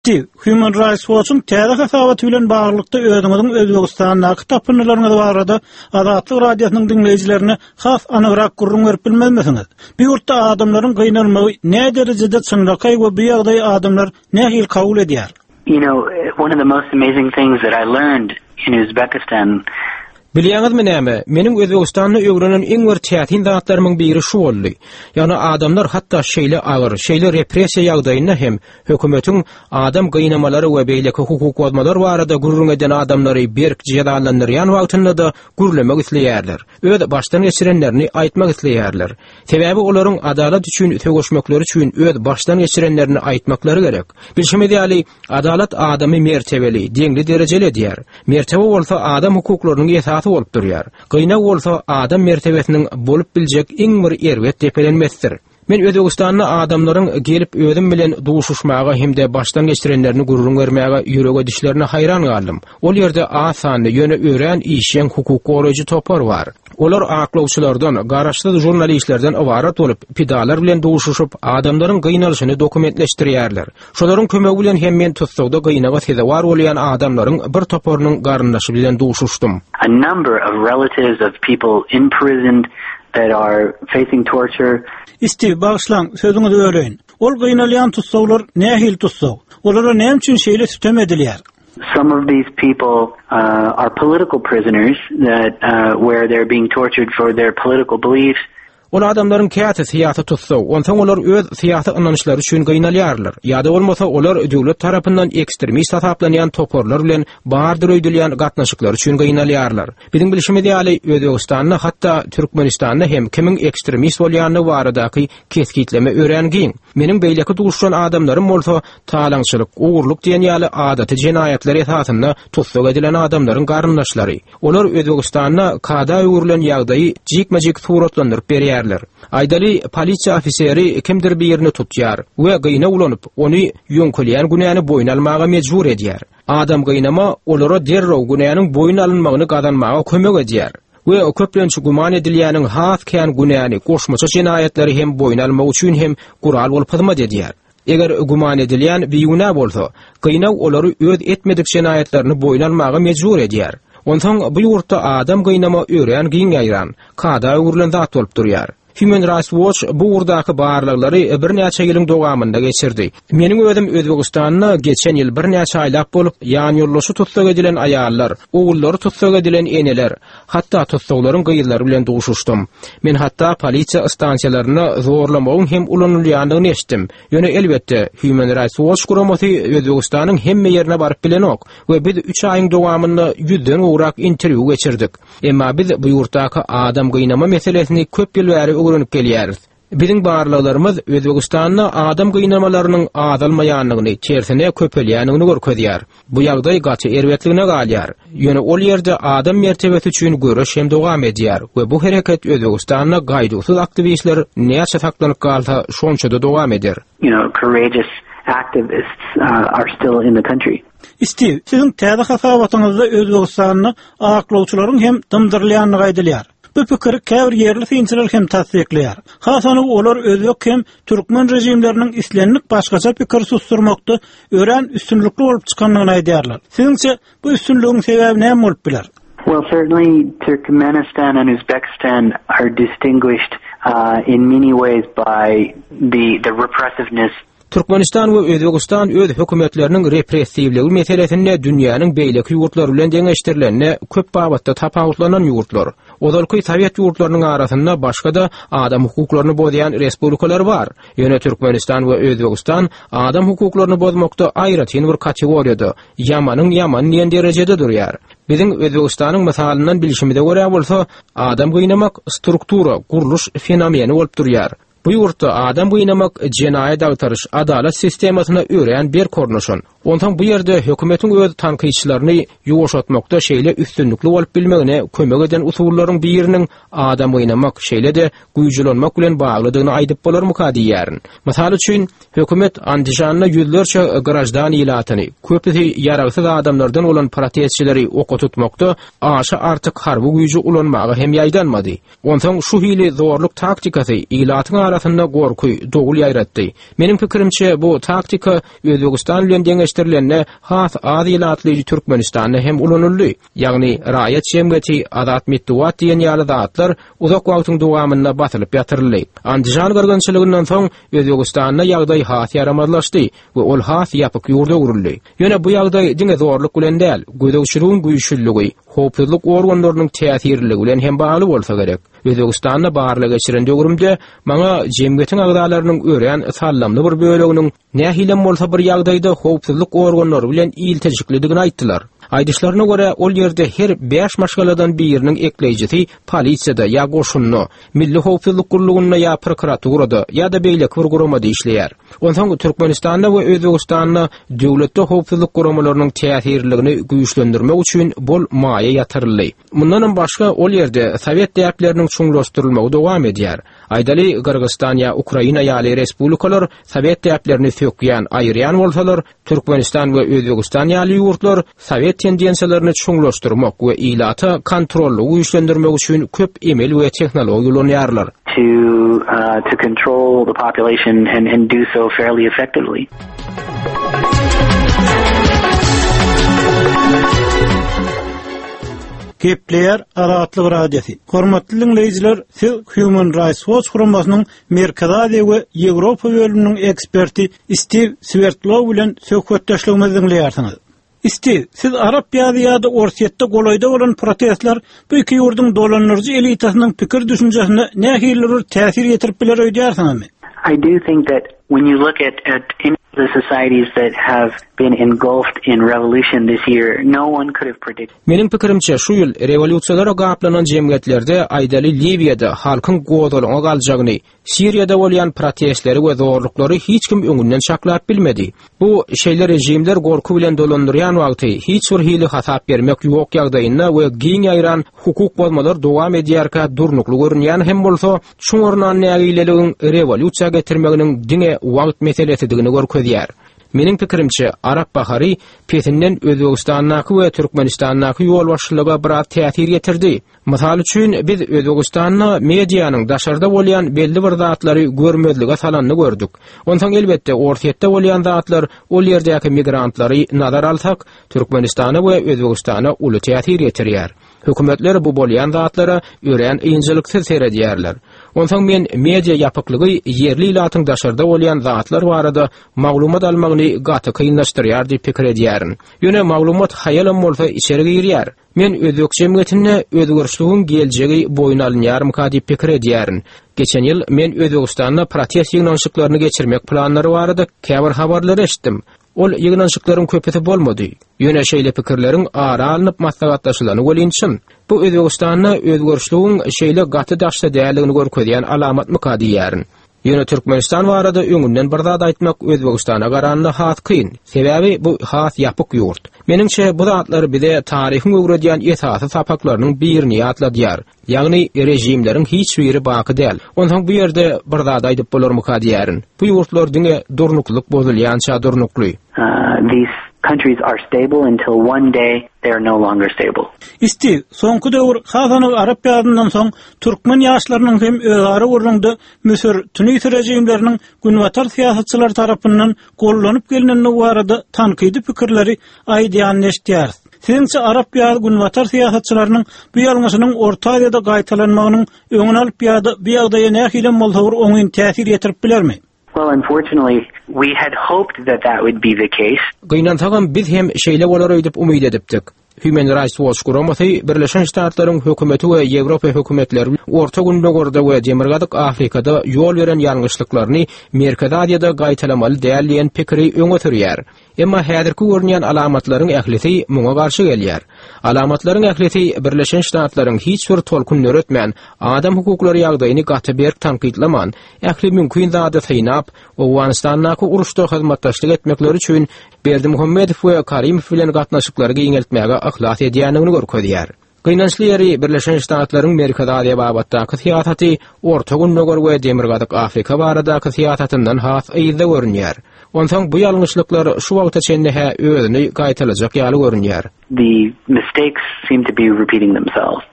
Stiw, Human Rights Watch-yň täze hasabaty bilen baglylykda özüňiziň Özbegistandaky tapyndylaryňyz barada Azatlyk Radiosynyň diňleýjilerine has anygrak gürrüň berip bilmezmisiňiz? Bu ýurtda adamlaryň gynalmagy näderejede çynlakaý we bu ýagdaýy adamlar nähili kabul edýär? You know, one of the most amazing things that I learned in Uzbekistan Bilýäňizmi näme, meniň Özbegistanda öwrenen iň bir täsin zatlarymyň biri şu boldy. Ýagny adamlar hatda şeýle agyr, şeýle repressiýa ýagdaýynda hem hökümetiň adam gynamalary we beýleki hukuk bozmalar barada gürrüň eden adamlary berk jezalandyrýan wagtynda-da gürlemek isleýärler. Öz başdan geçirenlerini aýtmak isleýärler. Sebäbi olaryň adalat üçin söweşmekleri üçin öz başdan geçirenlerini aýtmaklary gerek. Bilşimiz ýaly, Adalat adamy mertebeli, deňli-derejeli edýär. Mertebe bolsa adam hukuklarynyň esasy bolup durýar. Gynag bolsa adam mertebesiniň bolup biljek iň bir erbet depelenmesidir. Men Özbegistanda adamlaryň gelip özüm bilen duşuşmaga hem-de başdan geçirenlerini gürrüň bermäge ýürek edişlerine haýran galdym. Ol ýerde az sanly, ýöne örän işjeň hukuk goraýjy topar bar. Olar aklawçylardan, garaşsyz žurnalistlerden ybarat bolup, pidalar bilen duşuşyp, adamlaryň gynalyşyny dokumentleşdirýärler. Şolaryň kömegi bilen hem men tussagda gynaga sezewar bolýan adamlaryň bir toparynyň garyndaşy bilen duşuşdym. A number of relatives of people imprisoned that are facing torture. Stiw, bagyşlaň, sözüňizi böleýin. Ol gynalýan tussaglar nähili tussag? Olara näme üçin şeýle sütem edilýär? Some of these people uh, are political prisoners that uh, where they're being tortured for their political beliefs. Ol adamlaryň käsi syýasy tussag, onsoň olar öz syýasy ynançlary üçin gynalýarlar. Ýa-da bolmasa olar döwlet tarapyndan ekstremist hasaplanýan toparlar bilen bardyr öýdülýän gatnaşyklary üçin gynalýarlar. Biziň bilşimiz ýaly, Özbegistanda, hatda Türkmenistanda hem kimiň ekstremist bolýandygy baradaky kesgitleme örän giň. Meniň beýleki duşan adamlarym bolsa talaňçylyk, ogurlyk diýen ýaly adaty jenaýatlar esasynda tussag edilen adamlaryň garyndaşlary. Olar Özbegistanda kada öwrülen ýagdaýy jikme-jik suratlandyryp berýärler. Aýdaly, polisiýa ofiseri kimdir birini tutýar we gyna ulanyp, ony ýöňkelýän günäni boýun almaga mejbur edýär. Adam gynama olara derrew günäniň boýun alynmagyny gazanmaga kömek edýär we köplenç güman edilýäniň has kän günäni, goşmaça jenaýatlary hem boýun almagy üçin hem gural bolup hyzmat edýär. Eger güman edilýän bigünä bolsa, gynag olary öz etmedik jenaýatlaryny boýun almaga mejbur edýär. Onsoň bu ýurtda adam gynama örän giň ýaýran, kada öwrülen zat bolup durýar. Human Rights Watch bu ugurdaky barlaglary birnäçe ýylyň dowamynda geçirdi. Meniň özüm Özbegistanda geçen ýyl birnäçe aýlap bolup, ýanýoldaşy tussag edilen aýallar, ogullary tussag edilen eneler, Hatda tussaglaryň gyzlary bilen duşuşdym. Men hatda polisiýa stansiýalarynda zorlamagyň hem ulanylýandygyny eşitdim. Ýöne elbetde, Human Rights Watch guramasy Özbegistanyň hemme ýerine baryp bilenok we biz üç aýyň dowamynda ýüzden gowrak interwýu geçirdik. Emma biz bu ýurtdaky adam gynama meselesini köp ýyl bäri öwrenip gelýäris. Biziň barlaglarymyz Özbegistanda adam gynamalarynyň azalmaýandygyny, tersine köpelýändigini görkezýär. Bu ýagdaý gaty erbetligine galýar. Ýöne ol ýerde adam mertebesi üçin göreş hem dowam edýär we bu hereket Özbegistanda gaýduwsyz aktiwistler näçe saklanyp galsa, şonça-da dowam eder. You know, courageous activists uh, are still in the country. Stiw, siziň täze hasabatyňyzda Özbegistanda aklawçylaryň hem dymdyrylýandygy aýdylýar. Bu pikiri käbir ýerli synçylar hem tassyklaýar. Has anygy olar özbek hem türkmen režimleriniň islendik başgaça pikiri susdurmakda örän üstünlikli bolup çykandygyny aýdýarlar. Siziňçe, bu üstünligiň sebäbi näme bolup biler? Well, certainly Turkmenistan and Uzbekistan are distinguished uh, in many ways by the, the repressiveness Türkmenistan we Özbegistan öz hökümetleriniň repressiwligi meselesinde dünýäniň beýleki ýurtlary bilen deňeşdirilende köp babatda tapawutlanan ýurtlar. Ozalky sowet ýurtlarynyň arasynda başga-da adam hukuklaryny bozýan respublikalar bar. Ýöne Türkmenistan we Özbegistan adam hukuklaryny bozmakda aýratyn bir kategoriýada, ýamanyň ýamany diýen derejede durýar. Biziň Özbegistanyň mysalyndan bilşimize görä bolsa, adam gynamak struktura, gurluş fenomeni bolup durýar. Bu ýurtda adam gynamak jenaýat agtaryş, adalat sistemasyna örän berk ornaşan. Onsoň bu ýerde hökümetiň öz tankytçylaryny ýuwaşatmakda şeýle üstünlikli bolup bilmegine kömek eden usullaryň biriniň adam gynamak, şeýle-de güýç ulanmak bilen baglydygyny aýdyp bolarmyka diýýärin. Mysal üçin, hökümet Andijanda ýüzlerçe graždan ilatyny, köpüsi ýaragsyz adamlardan bolan protestçileri oka tutmakda aşa artyk harby güýji ulanmaga hem ýaýdanmady. Onsoň şu hili zorluk taktikasy ilatyň arasynda gorky, dowul ýaýratdy. Meniň pikirimçe, bu taktika Özbegistan bilen deňeşdirilende. deňeşdirilende has az ilatly Türkmenistanda hem ulanyldy. Ýagny raýat jemgyýeti, azat metbugat diýen ýaly zatlar uzak wagtyň dowamynda basylyp ýatyryldy. Andijan gyrgynçylygyndan soň Özbegistanda ýagdaý has ýaramazlaşdy we ol has ýapyk ýurda öwrüldi. Ýöne bu ýagdaý diňe zorluk bilen däl, gözegçiligiň güýçlüligi, howpsuzlyk organlarynyň täsirliligi bilen hem bagly bolsa gerek. Özbegistanda barlag geçiren döwrümde maňa jemgyýetiň agzalarynyň örän sallamly bir böleginiň nähilem bolsa bir ýagdaýda howpsuzlyk organlary bilen ilteşiklidigini aýtdylar. Aýdyşlaryna görä, ol ýerde her bäş maşgaladan biriniň ekleýjisi polisiýada ýa goşunda, Milli howpsuzlyk gullugynda ýa prokuraturada ýa-da beýleki bir guramada işleýär. Onsoň Türkmenistanda we Özbegistanda döwletde howpsuzlyk guramalarynyň täsirliligini güýçlendirmek üçin bol maýa ýatyryldy. Mundanam başga, ol ýerde sowet däpleriniň çuňlaşdyrylmagy dowam edýär. Aýdaly, Gyrgyzystan ýa Ukraina ýaly respublikalar sowet däplerini sökýän, aýyrýan bolsalar, Türkmenistan we Özbegistan ýaly ýurtlar sowet tendensiýalaryny çuňlaşdyrmak we ilata kontrollygy güýçlendirmek üçin köp emel we tehnologiýa ulanýarlar. To to control the population and and do so fairly effectively. Gepleýär Azatlyk Radiosy. Hormatly diňleýjiler, siz Human Rights Watch guramasynyň Merkezi Aziýa we Ýewropa bölüminiň eksperti Stiw Swerdlow bilen söhbetdeşligimizi diňleýärsiňiz. Stiw, siz Arap ýazy ýa-da Orsýetde golaýda bolan protestler bu iki ýurduň dolandyryjy elitasynyň pikir-düşünjesine nähilidir bir täsir ýetirip biler öýdýärsiňizmi? I do think that when you look at at any of the societies that have been engulfed in revolution this year, no one could have predicted. Meniň pikirimçe, şu ýyl rewolýusiýalara gaplanan jemgyýetlerde, aýdaly Liwiýada halkyň gozgalaňa galjagyny, Siriýada bolýan protestleri we zorluklary hiç kim öňünden çaklap bilmedi. Bu şeýle režimler gorky bilen dolandyrýan wagty, hiç bir hili hasap bermek ýok ýagdaýynda we giň ýaýran hukuk bozmalar dowam edýärkä durnukly görünýän hem bolsa, çuň ornan nägileligiň rewolýusiýa getirmeginiň diňe wagt meselesidigini görkezýär. Meniň pikirimçe, Arap bahary pesinden Özbegistandaky we Türkmenistandaky ýolbaşçylyga biraz täsir ýetirdi. Mysal üçin, biz Özbegistanda medianyň daşarda bolýan belli bir zatlary görmezlige salanyny gördük. Onsoň, elbetde, Orsýetde bolýan zatlar, ol ýerdäki migrantlary nazar alsak, Türkmenistana we Özbegistana uly täsir ýetirýär. Hökümetler bu bolýan zatlara örän ynjalyksyz seredýärler. Onsoň men media ýapyklygy ýerli ilatyň daşarda bolýan zatlar barada maglumat almagyny gaty kynlaşdyrýar diýip pikir edýärin. Ýöne maglumat haýalam bolsa içeri girýär. Men özbek jemgyýetinde özgerişligiň geljegi boýun alynýarmyka diýip pikir edýärin. Geçen ýyl men Özbegistanda protest ýygnanyşyklaryny geçirmek planlary barada käbir habarlary eşitdim. Ol ýygnanyşyklaryň köpüsi bolmady. Ýöne şeýle pikirleriň ara alnyp maslahatlaşylany welin çyn. Bu Özbegistanda özgerişligiň şeýle gaty daşda däldigini görkezýän alamatmyka diýýärin. Ýöne Türkmenistan barada öňünden bir zat aýtmak Özbegistana garanda has kyn. Sebäbi bu has ýapyk ýurt. Meniňçe bu zatlar bize taryhyň öwredýän esasy sapaklarynyň birini ýatladýar. Ýagny režimleriň hiç biri baky däl. Onsoň bu ýerde bir zat aýdyp bolarmyka diýýärin. Bu ýurtlar diňe durnuklylyk bozulýança durnukly. These countries are stable until one day they are no longer stable. Stiw, soňky döwür, has anygy arap ýazyndan soň, türkmen ýaşlarynyň hem özara gürrüňde Müsür, Tunis režimleriniň günbatar syýasatçylary tarapyndan gollanyp gelnendigi barada tankydy pikirleri aýdýanyny eşidýäris. Siziňçe arap ýazy günbatar syýasatçylarynyň bu ýalňyşynyň Orta Aziýada gaýtalanmagynyň öňüni alyp ýa-da bu ýagdaýa nähilem bolsa bir oňyn täsir ýetirip bilermi? Well, unfortunately, we had hoped that that would be the case. Gynansagam, biz hem şeýle bolar öýdüp umyt edipdik. Human Rights Watch guramasy Birleşen Ştatlaryň hökümeti we Ýewropa hökümetleri Orta Gündogarda we Demirgazyk Afrikada ýol beren ýalňyşlyklaryny Merkezi Aziýada gaýtalamaly däl diýen pikiri öňe sürýär. Emma häzirki görünýän alamatlaryň ählisi muňa garşy gelýär. Alamatlaryň ählisi Birleşen Ştatlaryň hiç bir tolkun döretmän, adam hukuklary ýagdaýyny gaty berk tankytlaman, ähli mümkin zady synap, Owganystandaky uruşda hyzmatdaşlyk etmekleri üçin Berdimuhamedow we Karimow bilen gatnaşyklary giňeltmäge yhlas edýändigini görkezýär. Gynançly ýeri, Birleşen Ştatlaryň Merkezi Aziýa babatdaky syýasaty Orta Gündogar we Demirgazyk Afrika baradaky syýasatyndan has yzda görünýär. Onsoň bu ýalňyşlyklar şu wagta çenli-hä özüni gaýtalajak ýaly görünýär. The mistakes seem to be repeating themselves.